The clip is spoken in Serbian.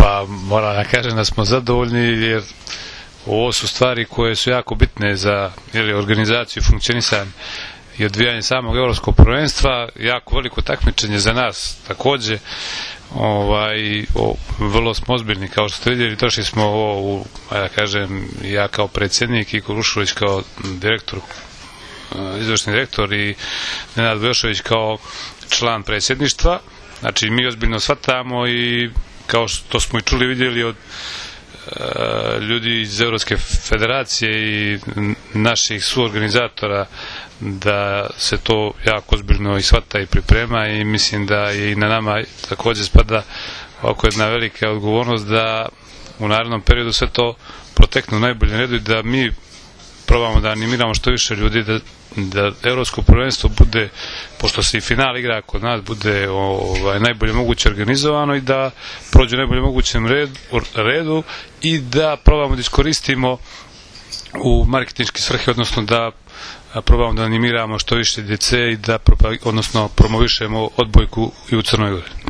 Pa moram da kažem da smo zadovoljni, jer ovo su stvari koje su jako bitne za organizaciju, funkcionisanje i odvijanje samog evropskog prvenstva. Jako veliko takmičenje za nas takođe. Vrlo smo ozbiljni, kao što ste vidjeli. Došli smo ovo da kažem, ja kao predsjednik i Kurušović kao direktor, izvršni direktor, i Nenad Bojošević kao član predsjedništva. Znači, mi ozbiljno shvatamo, i kao što smo i čuli, vidjeli od ljudi iz Evropske federacije i naših suorganizatora, da se to jako ozbiljno i shvata i priprema, i mislim da je i na nama takođe spada oko jedna velika odgovornost da u narednom periodu sve to protekne u najboljem redu i da mi probamo da animiramo što više ljudi, da evropsko prvenstvo bude, pošto se i final igra kod nas, bude najbolje moguće organizovano i da prođe u najbolje mogućem redu, i da probamo da iskoristimo u marketinške svrhe, odnosno da probamo da animiramo što više djece i da promovišemo odbojku i u Crnoj Gori.